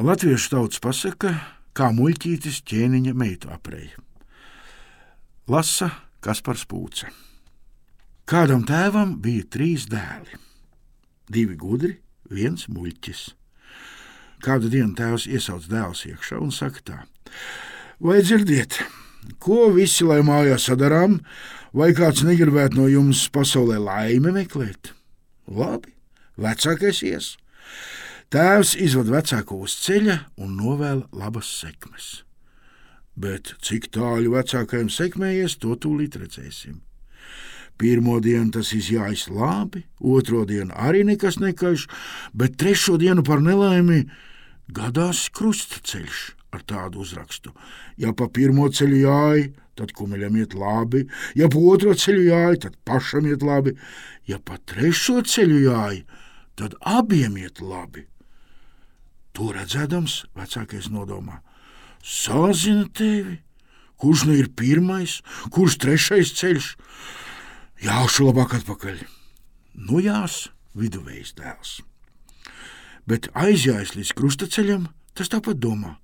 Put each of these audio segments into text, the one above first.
Latviešu tautas pasaka, kā muļķītis ķēniņa meitu apreja. Lasa Kaspars Pūce. Kādam tēvam bija 3 dēli. 2 gudri, 1 muļķis. Kādu dienu tēvs iesauc dēlus iekšā un saka tā: vai dzirdiet, ko visi lai mājās sadarām, vai kāds negribētu no jums pasaulē laimi meklēt? Labi, vecākais ies. Tēvs izved vecāko uz ceļa un novēl labas sekmes. Bet cik tālu vecākajam sekmējies, to tūlīt redzēsim. Pirmo dienu tas izjājas labi, otro dienu arī nekas nekaiš, bet trešo dienu par nelaimi gadās krustceļš ar tādu uzrakstu: ja pa pirmo ceļu jāj, tad kumeļam iet labi, ja pa otro ceļu jāj, tad pašam iet labi, ja pa trešo ceļu jāj, tad abiem iet labi. To redzēdams, vecākais nodomā: sazina tevi, kurš nu ir pirmais, kurš trešais ceļš, jāšu labāk atpakaļ. Nu jās, viduvējs dēls. Bet aizjājis līdz krustaceļam, tas tāpat domā: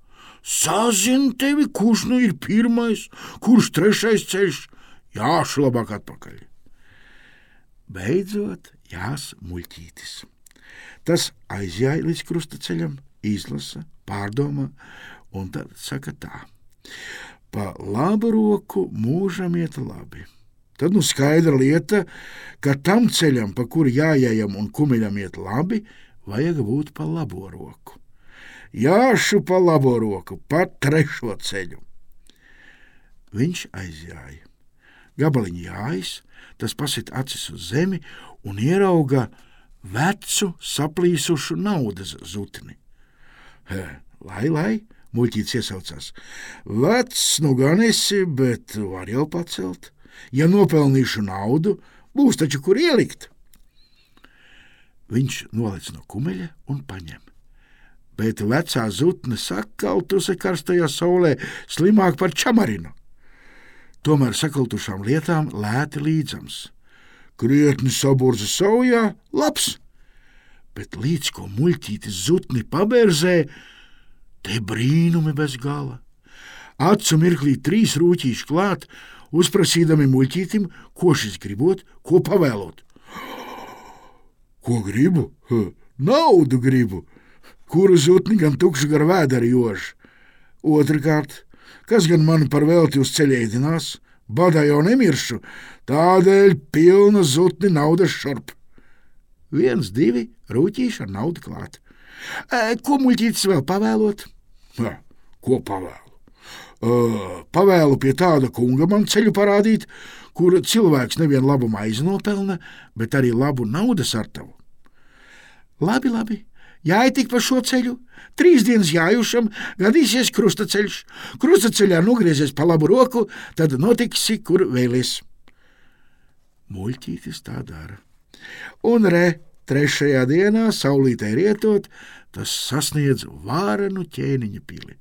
sazina tevi, kurš nu ir pirmais, kurš trešais ceļš, jāšu labāk atpakaļ. Beidzot jās muļķītis. Tas aizjāja līdz krustaceļam, izlasa, pārdomā, un tad saka tā: pa labu roku mūžam iet labi. Tad nu skaidra lieta, ka tam ceļam, pa kuru jājējam un kumeļam iet labi, vajag būt pa labo roku. Jāšu pa labo roku, pa trešo ceļu. Viņš aizjāja. Gabaliņu jājas, tas pasit acis uz zemi un ierauga vecu, saplīsušu naudas zutni. Lai, muļķītis iesaucās: vecs nu gan esi, bet var jau pacelt. Ja nopelnīšu naudu, būs taču kur ielikt. Viņš nolec no kumeļa un paņem. Bet vecā zutne sakaltuse karstajā saulē slimāk par čamarinu. Tomēr sakaltušām lietām lēti līdzams. Krietni saburza saujā, labs, bet līdz ko muļķītis zutni pabērzē, te brīnumi bez gala. Acu mirklī 3 rūķīši klāt, uzprasīdami muļķītim, ko šis gribot, ko pavēlot. Ko gribu? Naudu gribu, kuru zutni gan tukšu gar vēderi jož. Otrakārt, kas gan mani par velti uz ceļa ēdinās, badā jau nemiršu, tādēļ pilna zutni naudas šurp. 1, 2 rūķīši ar naudu klāt. Ko muļķītis vēl pavēlot? Ko pavēlu? Pavēlu pie tāda kunga man ceļu parādīt, kur cilvēks nevien labu maizi nopelna, bet arī labu naudas artavu. Labi, jāj tik pa šo ceļu, 3 dienas jājušam, gadīsies krustaceļš. Krustaceļā nogriezies pa labu roku, tad notiksi, kur vēlies. Muļķītis tā dara. Un trešajā dienā, saulītē rietot, tas sasniedz vārenu ķēniņa pili.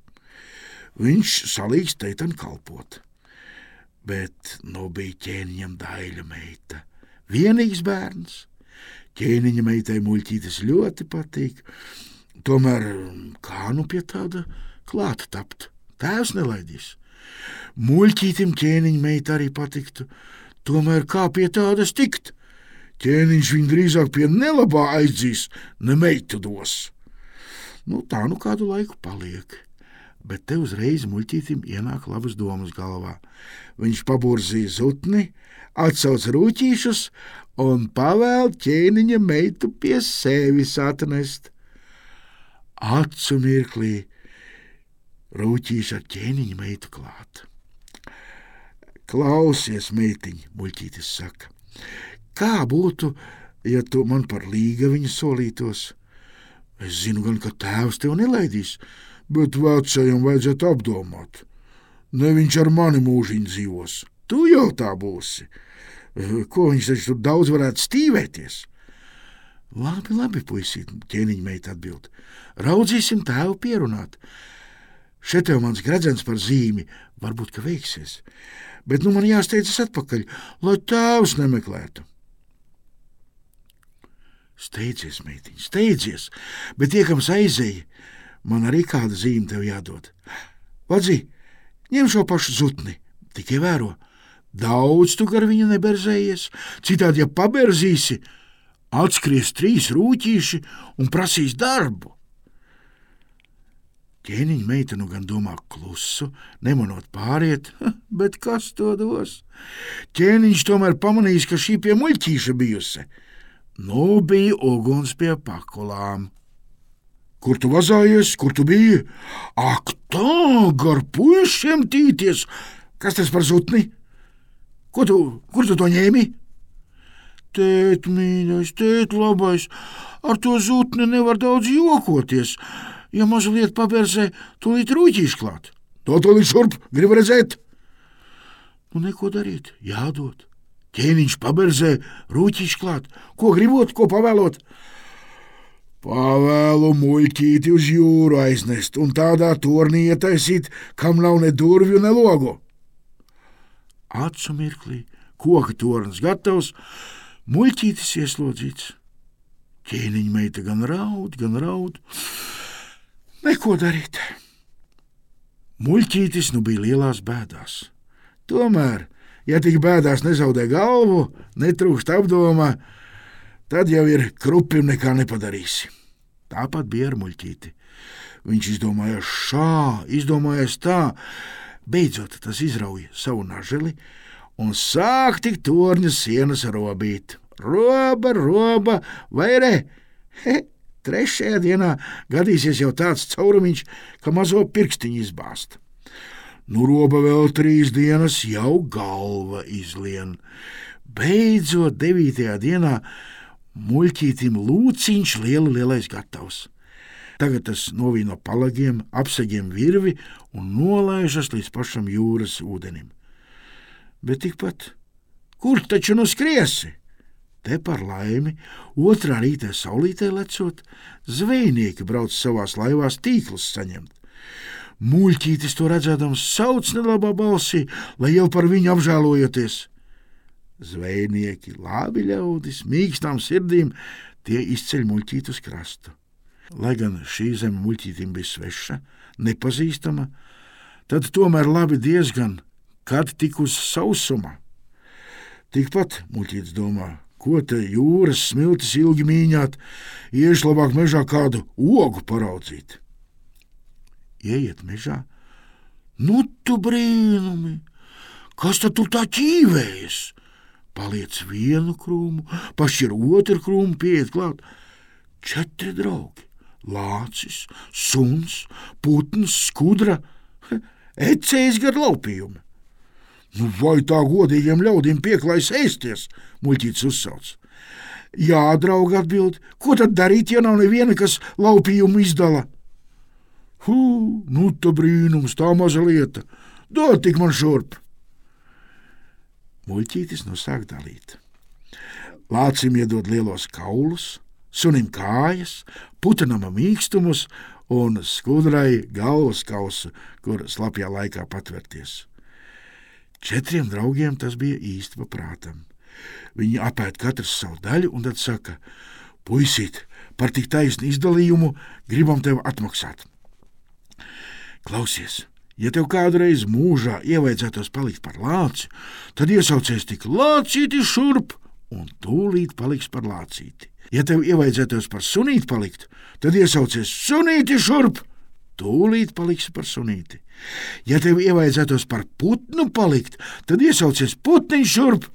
Viņš salīgs teitan kalpot. Bet bija ķēniņam daļa meita, vienīgs bērns. Ķēniņa meitai muļķītis ļoti patīk, tomēr kā nu pie tāda klāta tapt? Tēvs nelaidīs. Muļķītim ķēniņa meita arī patiktu, tomēr kā pie tādas tikt? Ķēniņš viņu drīzāk pie nelabā aizdzīs, ne meitu dos. Tā nu kādu laiku paliek. Bet te uzreiz muļķītim ienāk labas domas galvā. Viņš paburzīja zutni, atsauc rūķīšus un pavēl ķēniņa meitu pie sevis atnest. Acu mirklī rūķīši ar ķēniņa meitu klāt. Klausies, meitiņ, muļķītis saka, kā būtu, ja tu man par līgaviņu solītos? Es zinu gan, ka tēvs tev nelaidīs, bet vecajam vajadzētu apdomāt. Ne viņš ar mani mūžiņu dzīvos, tu jau tā būsi. Ko viņš taču tur daudz varētu stīvēties? Labi, puisīt, ķēniņa meita atbild. Raudzīsim tēvu pierunāt. Šeit tev mans gredzens par zīmi, varbūt, ka veiksies. Bet man jāsteidzas atpakaļ, lai tēvs nemeklētu. Steidzies, meitiņ, steidzies, bet iekams aizēja. Man arī kāda zīme tev jādod. Vadzi, ņem šo pašu zutni, tikai vēro. Daudz tu gar viņu neberzējies, citādi, ja paberzīsi, atskries 3 rūķīši un prasīs darbu. Ķēniņa meita nu gan domā klusu, nemanot pāriet, bet kas to dos? Ķēniņš tomēr pamanījis, ka šī pie muļķīša bijusi. Nu bija uguns pie pakulām. Kur tu vazājies, kur tu biji? Ak tā, gar puišiem tīties! Kas tas par zutni? Kur tu to ņēmi? Tēt, mīļais, tēt, labais, ar to zutni nevar daudz jokoties. Ja mazliet paberzē, tūlīt rūķīši klāt. To tūlīt šurp, grib redzēt. Nu, neko darīt, jādod. Ķēniņš paberzē, rūķīši klāt. Ko gribot, ko pavēlot? Pavēlu muļķīti uz jūru aiznest un tādā tornī ietaisīt, kam nav ne durvju, ne logu. Acu mirklī, koka tornis gatavs, muļķītis ieslodzīts. Ķēniņa meita gan raud. Neko darīt. Muļķītis nu bija lielās bēdās. Tomēr, ja tik bēdās nezaudē galvu, netrūkst apdomā, tad jau ir krupim nekā nepadarīsi. Tāpat bija ar muļķīti. Viņš izdomājās tā, beidzot tas izrauja savu naželi un sāk tik torņa sienas robīt. Roba, vai re? 3. dienā gadīsies jau tāds caurumiņš, ka mazo pirkstiņu izbāst. Nu roba vēl 3 dienas, jau galva izlien. Beidzot 9. dienā muļķītim lūciņš lielais gatavs. Tagad tas novīno palagiem, apsegiem virvi un nolaižas līdz pašam jūras ūdenim. Bet tikpat, kur taču nu skriesi? Te par laimi, 2. rītā saulītē lecot, zvejnieki brauc savās laivās tīklus saņemt. Muļķītis to redzēdams sauc nelabā balsī, lai jau par viņu apžēlojoties. Zvejnieki, labi ļaudis, mīkstām sirdīm, tie izceļ muļķīti uz krastu. Lai gan šī zeme muļķītim bija sveša, nepazīstama, tad tomēr labi diezgan, kad tik uz sausuma. Tikpat muļķītis domā, ko te jūras smiltis ilgi mīņāt, iešu labāk mežā kādu ogu paraudzīt. Ieiet mežā, nu tu brīnumi, kas tad tu tā ķīvējies? Paliec vienu krūmu, pašķir 2 krūmu, pieiet klāt. 4 draugi, lācis, suns, putns, skudra, ecējs gar laupījumi. Nu, vai tā godīgiem ļaudīm pieklājas ēsties, muļķītis uzsauc. Jā, draugi atbild, ko tad darīt, ja nav neviena, kas laupījumu izdala? Nu tā brīnums, tā maza lieta, dod tik man šurp. Muļķītis nu sāk dalīt. Lācim iedod lielos kaulus, sunim kājas, putenam mīkstumus un skudrai galvas kausu, kur slapjā laikā patverties. 4 draugiem tas bija īsti pa prātam. Viņi apēd katrs savu daļu un tad saka, puisīt, par tik taisnu izdalījumu gribam tev atmaksāt. Klausies, ja tev kādreiz mūžā ievaidzētos palikt par lāci, tad iesaucies tik lācīti šurp un tūlīt paliks par lācīti. Ja tev ievaidzētos par sunīti palikt, tad iesaucies sunīti šurp, tūlīt paliksi par sunīti. Ja tev ievaidzētos par putnu palikt, tad iesaucies putniņš šurp,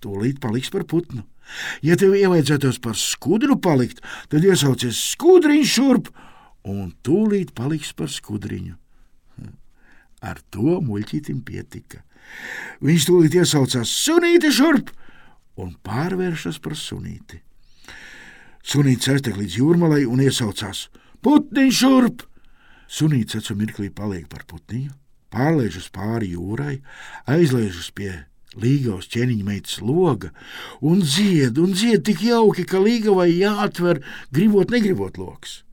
tūlīt paliks par putnu. Ja tev ievaidzētos par skudru palikt, tad iesaucies skudriņš šurp, un tūlīt paliks par skudriņu. Ar to muļķītim pietika. Viņš tūlīt iesaucās sunīti šurp un pārvēršas par sunīti. Sunītis aiztek līdz jūrmalai un iesaucās putniņš šurp. Sunītis acu mirklī paliek par putniņu, pārlēžas pāri jūrai, aizlēžas pie līgavas ķēniņa meitas loga un dzied tik jauki, ka līgavai jāatver gribot negribot loks.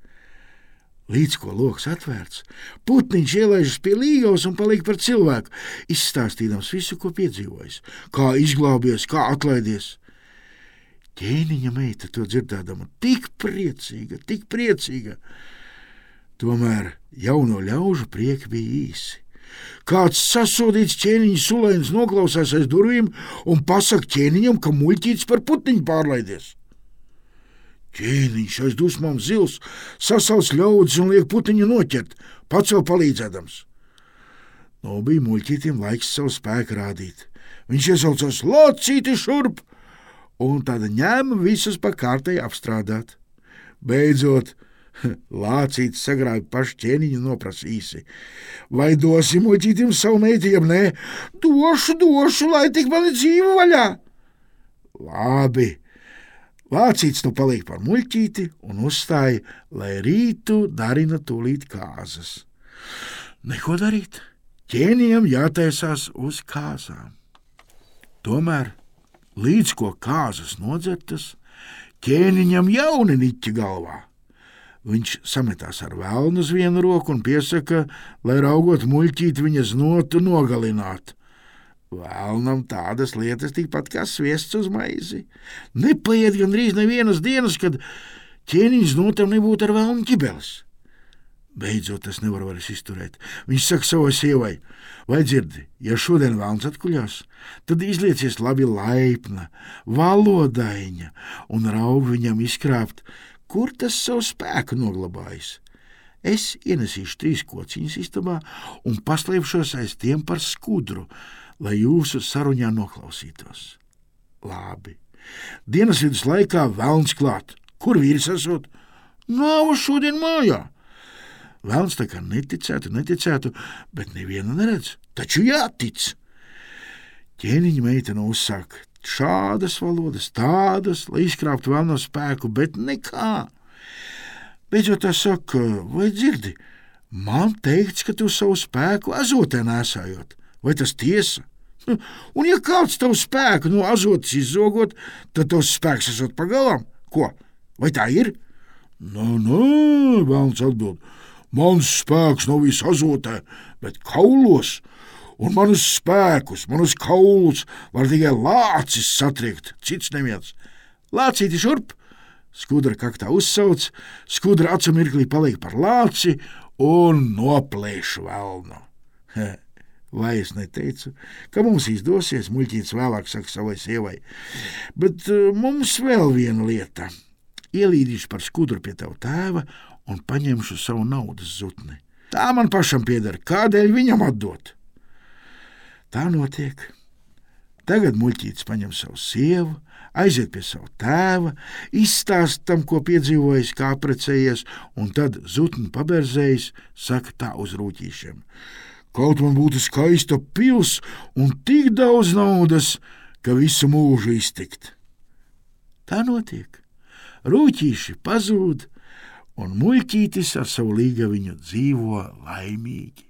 Līdz ko loks atvērts, putniņš ielaižas pie līgavas un paliek par cilvēku, izstāstīdams visu, ko piedzīvojis, kā izglābies, kā atlaidies. Ķēniņa meita to dzirdēdama tik priecīga, Tomēr jauno ļaužu prieki bija īsi. Kāds sasodīts ķēniņa sulēns noklausās aiz durvīm un pasaka ķēniņam, ka muļķītis par putniņu pārlaidies. Ķēniņš aiz dusmām zils, sasauc ļaudis un liek putniņu noķert, pats vēl palīdzēdams. Bija muļķītim laiks savu spēku rādīt. Viņš iesaucās Lācīti šurp, un tad ņēma visus pa kārtai apstrādāt. Beidzot, Lācītis sagrāja pašu ķēniņu noprasīsi. Vai dosi muļķītim savu meitu, jeb nē? Došu, lai tik mani dzīvu vaļā. Labi. Lācītis nu paliek par muļķīti un uzstāja, lai rītu darina tūlīt kāzas. Neko darīt. Ķēnijam jātaisās uz kāzām. Tomēr, līdz ko kāzas nodzertas, ķēniņam jauni niķi galvā. Viņš sametās ar velnu uz vienu roku un piesaka, lai raugot muļķīt viņa znotu nogalināt. Velnam tādas lietas tikpat kā sviests uz maizi. Nepaiet gandrīz nevienas dienas, kad ķēniņš znotam nebūtu ar velnu ķibeles. Beidzot, tas nevar vairs izturēt. Viņš saka savai sievai: vai dzirdi, ja šodien velns atkuļās, tad izliecies labi laipna, valodaiņa un raug viņam izkrāpt, kur tas savu spēku noglabājis. Es ienesīšu 3 kociņas istabā un paslēpšos aiz tiem par skudru, lai jūsu saruņā noklausītos. Labi. Dienas vidus laikā velns klāt. Kur vīrs esot? Nav šodien mājā. Velns tā kā neticētu, bet nevienu neredz. Taču jātic. Ķēniņa meitene uzsāk šādas valodas, tādas, lai izkrāptu velno spēku, bet nekā. Beidzot tā saka: vai dzirdi, man teikts, ka tu savu spēku azotē nesājot. Vai tas tiesa? Un ja kāds tavu spēku no azotas izzogot, tad tavs spēks esot pagalam? Ko? Vai tā ir? Nē, velns atbild. Mans spēks nav viss azotē, bet kaulos, un manus spēkus, manus kaulus var tikai lācis satriekt, cits neviens. Lācīti šurp! Skudra kaktā uzsauc, skudra acu mirklī paliek par lāci un noplēš velnu. Vai es neteicu, ka mums izdosies, muļķītis vēlāk saka savai sievai, bet mums vēl viena lieta. Ielīdīšu par skudru pie tava tēva un paņemšu savu naudas zutni. Tā man pašam pieder, kādēļ viņam atdot? Tā notiek. Tagad muļķītis paņem savu sievu, aiziet pie savu tēva, izstāst tam, ko piedzīvojis, kā precējies, un tad zutni paberzējis, saka tā uz rūķīšiem: kaut man būtu skaista pils un tik daudz naudas, ka visu mūžu iztikt. Tā notiek. Rūķīši pazūd, un muļķītis ar savu līgaviņu dzīvo laimīgi.